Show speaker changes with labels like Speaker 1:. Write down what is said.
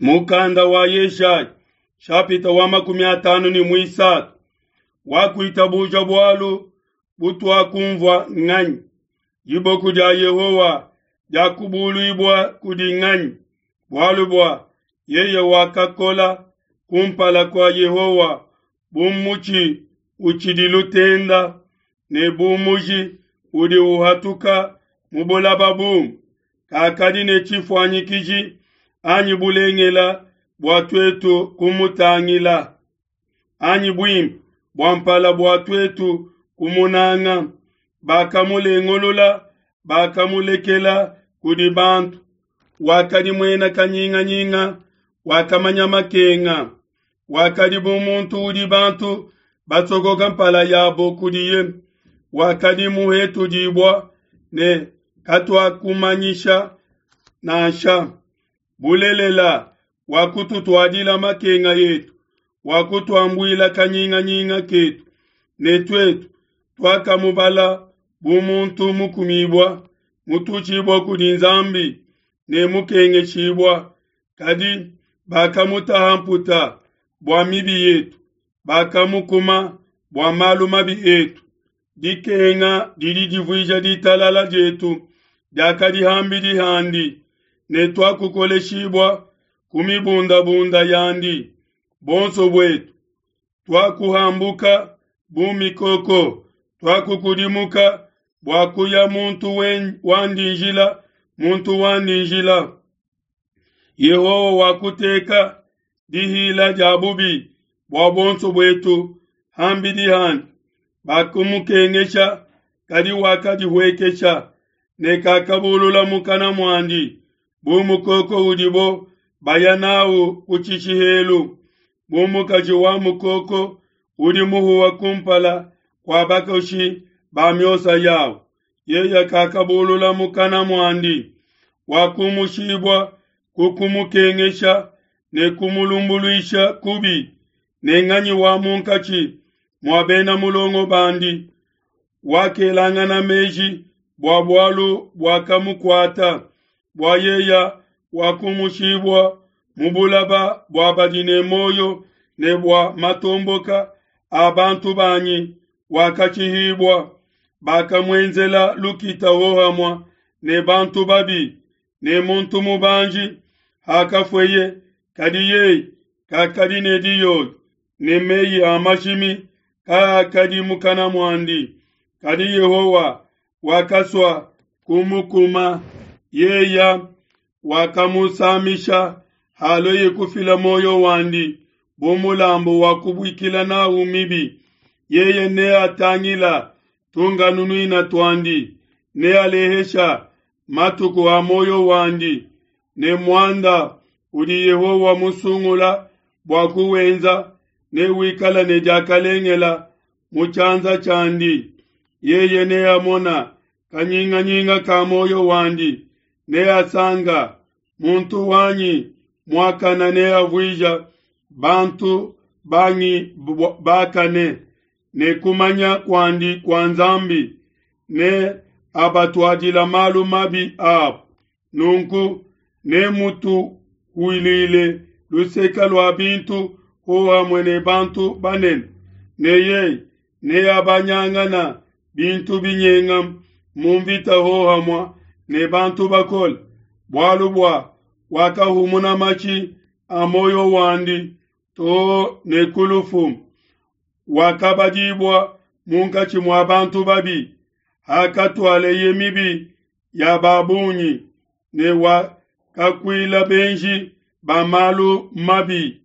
Speaker 1: Mukanda wa Yeshaya shapita wa 53 wakuitabuja bualu butuakumvua nganyi? Diboku dia Yehowa diakubuluibua kudi nganyi? Bualu bua yeye wakakola kumpala kua Yehowa bu mutshi utshidi lutenda ne bu muji udi uhatuka mu bulaba bumu, kakadi ne tshifuanyikiji anyi bulengela bua tuetu kumutangila, anyi buimpe bua mpala bua tuetu kumunanga. Bakamulengulula, bakamulekela kudi bantu. Wakadi muena kanyinganyinga, wakamanya makenga, wakadi bu muntu udi bantu basokoka mpala yabo kudiye, wakadi muhetudibua ne katuakumanyisha nansha. Bulelela, wakututuadila makenga etu, wakutuambuila kanyinganyinga ketu, ne tuetu tuakamubala bu muntu mukumibua, mututshibua kudi Nzambi ne mukengeshibua. Kadi bakamutaha mputa bua mibi yetu, bakamukuma bua malu mabi etu. Dikenga didi divuija ditalala dietu diakadi ham'bidi handi, ne tuakukoleshibua ku mibundabunda yandi. Bonso buetu tuakuhambuka bu mikoko, tuakukudimuka bua kuya muntu wandi njila, muntu wandi njila. Yehowa wakuteka dihila dia bubi bua buonso buetu ham'bidi handi. Bakumukengesha, kadi wakadihuekesha, ne kakabulula mukana muandi, bu mukoko udibo baya n'au ku tshishihelu, bu mukaji wa mukoko udi muhuwa kumpala kua bakoshi ba miosa yau. Yeye kakabulula mukana muandi, wakumushibua ku kumukengesha ne kumulumbuluisha kubi. Ne nganyi wa munkatshi mua bena mulongo bandi wakelangana meji bua bualu buakamukuata, bua yeya wakumushibua mu bulaba bua badi ne muoyo, ne bua matomboka a bantu banyi wakatshihibua. Bakamuenzela lukita hohamua ne bantu babi ne muntu mubanji hakafueye, kadi yeye kakadi ne diyoyo, ne meyi a mashimi kaakadi mukana muandi. Kadi Yehowa wakasua kumukuma, yeya wakamusamisha halueye kufila muoyo wandi bu mulambu wa kubuikila nawu mibi. Yeye neatangila tunganunuina tuandi, nealehesha matuku a muoyo wandi, ne muanda udi Yehowa musungula bua kuwenza newikala ne diakalengela mu tshianza tshiandi. Yeye neamona kanyinganyinga ka muoyo wandi, neasanga muntu wanyi muakana, neavuija bantu bangi bakane, ne kumanya kuandi kua Nzambi ne abatuadila malu mabi abo. Nunku nemutuhuilile luseka lua bintu hohamue ne bantu banene, ne yeye neabanyangana bintu binyenga mu mvita hohamue ne bantu bakole, bualu bua wakahumuna matshi a muoyo wandi too ne ku lufu, wakabadibua munkatshi mua bantu babi, hakatualeye mibi ya ba bungi, ne wakakuila benji ba malu mabi.